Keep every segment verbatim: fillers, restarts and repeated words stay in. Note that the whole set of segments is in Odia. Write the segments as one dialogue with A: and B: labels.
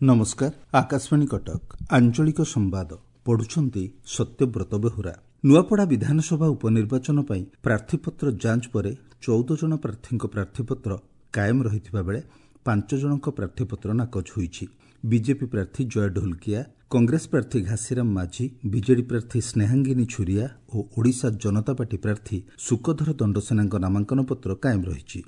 A: ନମସ୍କାର, ଆକାଶବାଣୀ କଟକ, ଆଞ୍ଚଳିକ ସମ୍ବାଦ ପଢୁଛନ୍ତି ସତ୍ୟବ୍ରତ ବେହୁରା। ନୂଆପଡ଼ା ବିଧାନସଭା ଉପନିର୍ବାଚନ ପାଇଁ ପ୍ରାର୍ଥୀପତ୍ର ଯାଞ୍ଚ ପରେ ଚଉଦ ଜଣ ପ୍ରାର୍ଥୀଙ୍କ ପ୍ରାର୍ଥୀପତ୍ର କାଏମ ରହିଥିବା ବେଳେ ପାଞ୍ଚ ଜଣଙ୍କ ପ୍ରାର୍ଥୀପତ୍ର ନାକଚ ହୋଇଛି। ବିଜେପି ପ୍ରାର୍ଥୀ ଜୟ ଢୋଲକିଆ, କଂଗ୍ରେସ ପ୍ରାର୍ଥୀ ଘାସିରାମ ମାଝୀ, ବିଜେଡି ପ୍ରାର୍ଥୀ ସ୍ନେହାଙ୍ଗିନୀ ଛୁରିଆ ଓ ଓଡ଼ିଶା ଜନତା ପାର୍ଟି ପ୍ରାର୍ଥୀ ଶୁକଧର ଦଣ୍ଡସେନାଙ୍କ ନାମାଙ୍କନ ପତ୍ର କାଏମ ରହିଛି।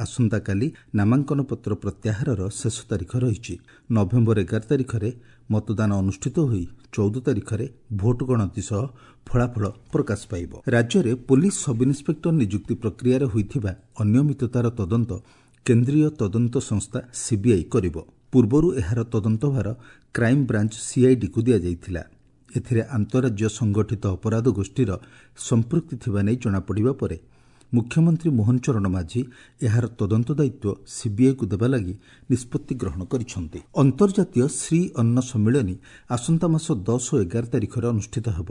A: ଆସନ୍ତାକାଲି ନାମାଙ୍କନ ପତ୍ର ପ୍ରତ୍ୟାହାରର ଶେଷ ତାରିଖ ରହିଛି। ନଭେମ୍ବର ଏଗାର ତାରିଖରେ ମତଦାନ ଅନୁଷ୍ଠିତ ହୋଇ ଚଉଦ ତାରିଖରେ ଭୋଟ ଗଣତି ସହ ଫଳାଫଳ ପ୍ରକାଶ ପାଇବ। ରାଜ୍ୟରେ ପୋଲିସ ସବ୍ଇନ୍ସପେକ୍ଟର ନିଯୁକ୍ତି ପ୍ରକ୍ରିୟାରେ ହୋଇଥିବା ଅନିୟମିତତାର ତଦନ୍ତ କେନ୍ଦ୍ରୀୟ ତଦନ୍ତ ସଂସ୍ଥା ସିବିଆଇ କରିବ। ପୂର୍ବରୁ ଏହାର ତଦନ୍ତଭାର କ୍ରାଇମବ୍ରାଞ୍ଚ ସିଆଇଡିକୁ ଦିଆଯାଇଥିଲା। ଏଥିରେ ଆନ୍ତଃରାଜ୍ୟ ସଂଗଠିତ ଅପରାଧ ଗୋଷ୍ଠୀର ସମ୍ପୃକ୍ତି ଥିବା ନେଇ ଜଣାପଡ଼ିବା ପରେ ମୁଖ୍ୟମନ୍ତ୍ରୀ ମୋହନ ଚରଣ ମାଝୀ ଏହାର ତଦନ୍ତ ଦାୟିତ୍ୱ ସିବିଆଇକୁ ଦେବା ଲାଗି ନିଷ୍ପତ୍ତି ଗ୍ରହଣ କରିଛନ୍ତି। ଅନ୍ତର୍ଜାତୀୟ ଶ୍ରୀ ଅନ୍ନ ସମ୍ମିଳନୀ ଆସନ୍ତା ମାସ ଦଶ ଓ ଏଗାର ତାରିଖରେ ଅନୁଷ୍ଠିତ ହେବ।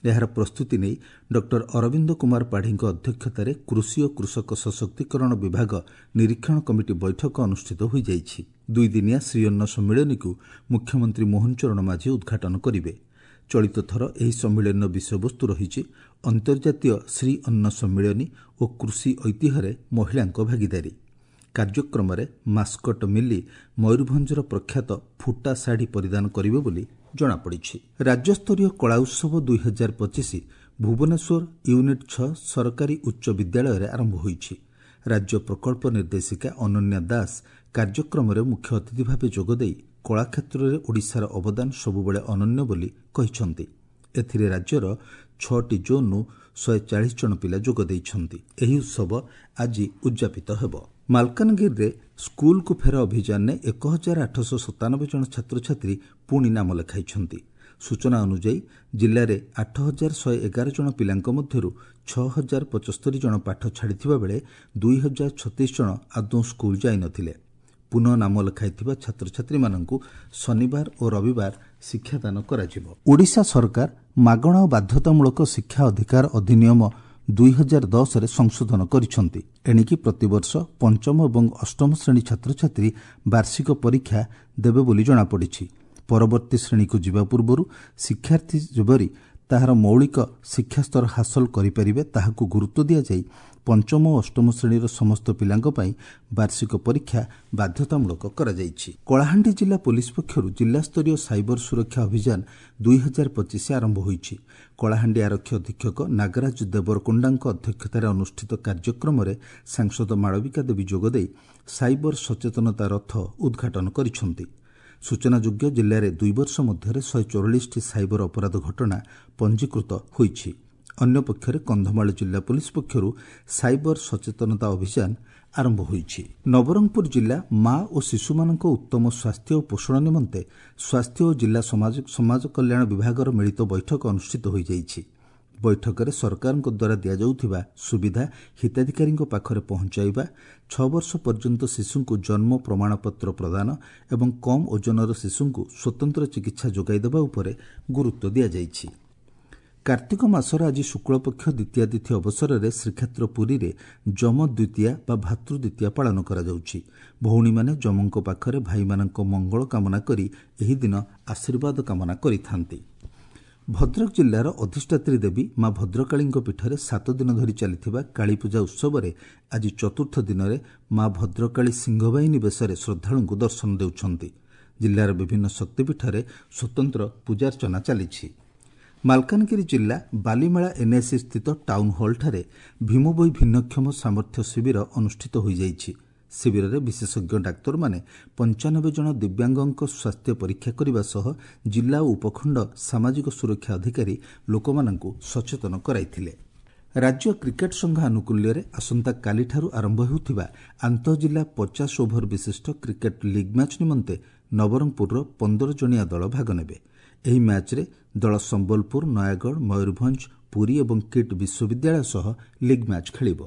A: ଏହାର ପ୍ରସ୍ତୁତି ନେଇ ଡକ୍ଟର ଅରବିନ୍ଦ କୁମାର ପାଢ଼ୀଙ୍କ ଅଧ୍ୟକ୍ଷତାରେ କୃଷି ଓ କୃଷକ ସଶକ୍ତିକରଣ ବିଭାଗ ନିରୀକ୍ଷଣ କମିଟି ବୈଠକ ଅନୁଷ୍ଠିତ ହୋଇଯାଇଛି। ଦୁଇଦିନିଆ ଶ୍ରୀଅନ୍ନ ସମ୍ମିଳନୀକୁ ମୁଖ୍ୟମନ୍ତ୍ରୀ ମୋହନ ଚରଣ ମାଝୀ ଉଦ୍ଘାଟନ କରିବେ। ଚଳିତ ଥର ଏହି ସମ୍ମିଳନୀର ବିଷୟବସ୍ତୁ ରହିଛି ଅନ୍ତର୍ଜାତୀୟ ଶ୍ରୀ ଅନ୍ନ ସମ୍ମିଳନୀ ଓ କୃଷି ଐତିହ୍ୟରେ ମହିଳାଙ୍କ ଭାଗିଦାରୀ। କାର୍ଯ୍ୟକ୍ରମରେ ମାସ୍କଟ ମିଲି ମୟୂରଭଞ୍ଜର ପ୍ରଖ୍ୟାତ ଫୁଟା ଶାଢ଼ୀ ପରିଧାନ କରିବେ ବୋଲି ଜଣାପଡ଼ିଛି। ରାଜ୍ୟସ୍ତରୀୟ କଳା ଉତ୍ସବ ଦୁଇ ହଜାର ପଚିଶ ଭୁବନେଶ୍ୱର ୟୁନିଟ୍ ଛଅ ସରକାରୀ ଉଚ୍ଚ ବିଦ୍ୟାଳୟରେ ଆରମ୍ଭ ହୋଇଛି। ରାଜ୍ୟ ପ୍ରକଳ୍ପ ନିର୍ଦ୍ଦେଶିକା ଅନନ୍ୟା ଦାସ କାର୍ଯ୍ୟକ୍ରମରେ ମୁଖ୍ୟ ଅତିଥି ଭାବେ ଯୋଗଦେଇ କଳା କ୍ଷେତ୍ରରେ ଓଡ଼ିଶାର ଅବଦାନ ସବୁବେଳେ ଅନନ୍ୟ ବୋଲି କହିଛନ୍ତି। ଏଥିରେ ରାଜ୍ୟର ଛଅଟି ଜୋନ୍ରୁ ଶହେ ଚାଳିଶ ଜଣ ପିଲା ଯୋଗ ଦେଇଛନ୍ତି। ଏହି ଉତ୍ସବ ଆଜି ଉଦ୍ଯାପିତ ହେବ। ମାଲକାନଗିରିରେ ସ୍କୁଲକୁ ଫେର ଅଭିଯାନରେ ଏକ ହଜାର ଆଠଶହ ସତାନବେ ଜଣ ଛାତ୍ରଛାତ୍ରୀ ପୁଣି ନାମ ଲେଖାଇଛନ୍ତି। ସୂଚନା ଅନୁଯାୟୀ ଜିଲ୍ଲାରେ ଆଠ ହଜାର ଶହେ ଏଗାର ଜଣ ପିଲାଙ୍କ ମଧ୍ୟରୁ ଛଅ ହଜାର ପଚସ୍ତରୀ ଜଣ ପାଠ ଛାଡ଼ିଥିବା ବେଳେ ଦୁଇ ହଜାର ଛତିଶ ଜଣ ଆଦୌ ସ୍କୁଲ ଯାଇନଥିଲେ। ପୁନଃ ନାମ ଲେଖାଇଥିବା ଛାତ୍ରଛାତ୍ରୀମାନଙ୍କୁ ଶନିବାର ଓ ରବିବାର ଶିକ୍ଷାଦାନ କରାଯିବ। ଓଡ଼ିଶା ସରକାର ମାଗଣା ଓ ବାଧ୍ୟତାମୂଳକ ଶିକ୍ଷା ଅଧିକାର ଅଧିନିୟମ ଦୁଇ ହଜାର ଦଶରେ ସଂଶୋଧନ କରିଛନ୍ତି। ଏଣିକି ପ୍ରତିବର୍ଷ ପଞ୍ଚମ ଏବଂ ଅଷ୍ଟମ ଶ୍ରେଣୀ ଛାତ୍ରଛାତ୍ରୀ ବାର୍ଷିକ ପରୀକ୍ଷା ଦେବେ ବୋଲି ଜଣାପଡ଼ିଛି। ପରବର୍ତ୍ତୀ ଶ୍ରେଣୀକୁ ଯିବା ପୂର୍ବରୁ ଶିକ୍ଷାର୍ଥୀ ଯେପରି ତାହାର ମୌଳିକ ଶିକ୍ଷାସ୍ତର ହାସଲ କରିପାରିବେ ତାହାକୁ ଗୁରୁତ୍ୱ ଦିଆଯାଇ ପଞ୍ଚମ ଓ ଅଷ୍ଟମ ଶ୍ରେଣୀର ସମସ୍ତ ପିଲାଙ୍କ ପାଇଁ ବାର୍ଷିକ ପରୀକ୍ଷା ବାଧ୍ୟତାମୂଳକ କରାଯାଇଛି। କଳାହାଣ୍ଡି ଜିଲ୍ଲା ପୋଲିସ ପକ୍ଷରୁ ଜିଲ୍ଲାସ୍ତରୀୟ ସାଇବର ସୁରକ୍ଷା ଅଭିଯାନ ଦୁଇ ହଜାର ପଚିଶ ଆରମ୍ଭ ହୋଇଛି। କଳାହାଣ୍ଡି ଆରକ୍ଷୀ ଅଧୀକ୍ଷକ ନାଗରାଜ ଦେବରକୋଣ୍ଡାଙ୍କ ଅଧ୍ୟକ୍ଷତାରେ ଅନୁଷ୍ଠିତ କାର୍ଯ୍ୟକ୍ରମରେ ସାଂସଦ ମାଳବିକା ଦେବୀ ଯୋଗଦେଇ ସାଇବର ସଚେତନତା ରଥ ଉଦ୍ଘାଟନ କରିଛନ୍ତି। ସୂଚନାଯୋଗ୍ୟ, ଜିଲ୍ଲାରେ ଦୁଇ ବର୍ଷ ମଧ୍ୟରେ ଶହେ ଚଉରାଳିଶଟି ସାଇବର ଅପରାଧ ଘଟଣା ପଞ୍ଜୀକୃତ ହୋଇଛି। ଅନ୍ୟପକ୍ଷରେ କନ୍ଧମାଳ ଜିଲ୍ଲା ପୋଲିସ ପକ୍ଷରୁ ସାଇବର ସଚେତନତା ଅଭିଯାନ ଆରମ୍ଭ ହୋଇଛି। ନବରଙ୍ଗପୁର ଜିଲ୍ଲା ମା ଓ ଶିଶୁମାନଙ୍କ ଉତ୍ତମ ସ୍ୱାସ୍ଥ୍ୟ ଓ ପୋଷଣ ନିମନ୍ତେ ସ୍ୱାସ୍ଥ୍ୟ ଓ ଜିଲ୍ଲା ସମାଜ କଲ୍ୟାଣ ବିଭାଗର ମିଳିତ ବୈଠକ ଅନୁଷ୍ଠିତ ହୋଇଯାଇଛି। ବୈଠକରେ ସରକାରଙ୍କ ଦ୍ୱାରା ଦିଆଯାଉଥିବା ସୁବିଧା ହିତାଧିକାରୀଙ୍କ ପାଖରେ ପହଞ୍ଚାଇବା, ଛଅ ବର୍ଷ ପର୍ଯ୍ୟନ୍ତ ଶିଶୁଙ୍କୁ ଜନ୍ମ ପ୍ରମାଣପତ୍ର ପ୍ରଦାନ ଏବଂ କମ୍ ଓଜନର ଶିଶୁଙ୍କୁ ସ୍ୱତନ୍ତ୍ର ଚିକିତ୍ସା ଯୋଗାଇ ଦେବା ଉପରେ ଗୁରୁତ୍ୱ ଦିଆଯାଇଛି। କାର୍ତ୍ତିକ ମାସର ଆଜି ଶୁକ୍ଳପକ୍ଷ ଦ୍ୱିତୀୟା ତିଥି ଅବସରରେ ଶ୍ରୀକ୍ଷେତ୍ର ପୁରୀରେ ଯମ ଦ୍ୱିତୀୟା ବା ଭାତୃଦ୍ୱିତୀୟା ପାଳନ କରାଯାଉଛି। ଭଉଣୀମାନେ ଯମଙ୍କ ପାଖରେ ଭାଇମାନଙ୍କ ମଙ୍ଗଳ କାମନା କରି ଏହି ଦିନ ଆଶୀର୍ବାଦ କାମନା କରିଥାନ୍ତି। ଭଦ୍ରକ ଜିଲ୍ଲାର ଅଧିଷ୍ଠାତ୍ରୀ ଦେବୀ ମା ଭଦ୍ରକାଳୀଙ୍କ ପୀଠରେ ସାତ ଦିନ ଧରି ଚାଲିଥିବା କାଳୀପୂଜା ଉତ୍ସବରେ ଆଜି ଚତୁର୍ଥ ଦିନରେ ମା ଭଦ୍ରକାଳୀ ସିଂହବାହିନୀ ବେଶରେ ଶ୍ରଦ୍ଧାଳୁଙ୍କୁ ଦର୍ଶନ ଦେଉଛନ୍ତି। ଜିଲ୍ଲାର ବିଭିନ୍ନ ଶକ୍ତିପୀଠରେ ସ୍ୱତନ୍ତ୍ର ପୂଜାର୍ଚ୍ଚନା ଚାଲିଛି। ମାଲକାନଗିରି ଜିଲ୍ଲା ବାଲିମେଳା ଏନ୍ଏସି ସ୍ଥିତ ଟାଉନ୍ ହଲ୍ଠାରେ ଭୀମଭୋଇ ଭିନ୍ନକ୍ଷମ ସାମର୍ଥ୍ୟ ଶିବିର ଅନୁଷ୍ଠିତ ହୋଇଯାଇଛି। ଶିବିରରେ ବିଶେଷଜ୍ଞ ଡାକ୍ତରମାନେ ପଞ୍ଚାନବେ ଜଣ ଦିବ୍ୟାଙ୍ଗଙ୍କ ସ୍ୱାସ୍ଥ୍ୟ ପରୀକ୍ଷା କରିବା ସହ ଜିଲ୍ଲା ଓ ଉପଖଣ୍ଡ ସାମାଜିକ ସୁରକ୍ଷା ଅଧିକାରୀ ଲୋକମାନଙ୍କୁ ସଚେତନ କରାଇଥିଲେ। ରାଜ୍ୟ କ୍ରିକେଟ୍ ସଂଘ ଆନୁକୂଲ୍ୟରେ ଆସନ୍ତାକାଲିଠାରୁ ଆରମ୍ଭ ହେଉଥିବା ଆନ୍ତଃଜିଲ୍ଲା ପଚାଶ ଓଭର ବିଶିଷ୍ଟ କ୍ରିକେଟ୍ ଲିଗ୍ ମ୍ୟାଚ୍ ନିମନ୍ତେ ନବରଙ୍ଗପୁରର ପନ୍ଦର ଜଣିଆ ଦଳ ଭାଗ ନେବେ। ଏହି ମ୍ୟାଚ୍ରେ ଦଳ ସମ୍ବଲପୁର, ନୟାଗଡ଼, ମୟୂରଭଞ୍ଜ, ପୁରୀ ଏବଂ କିଟ୍ ବିଶ୍ୱବିଦ୍ୟାଳୟ ସହ ଲିଗ୍ ମ୍ୟାଚ୍ ଖେଳିବ।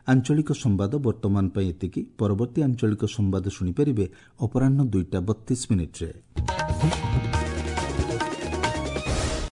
A: ଆଞ୍ଚଳିକ ସମ୍ବାଦ ବର୍ତ୍ତମାନ ପାଇଁ ଏତିକି। ପରବର୍ତ୍ତୀ ଆଞ୍ଚଳିକ ସମ୍ବାଦ ଶୁଣିପାରିବେ ଅପରାହ୍ନ ଦୁଇଟା ବତିଶ ମିନିଟ୍ରେ।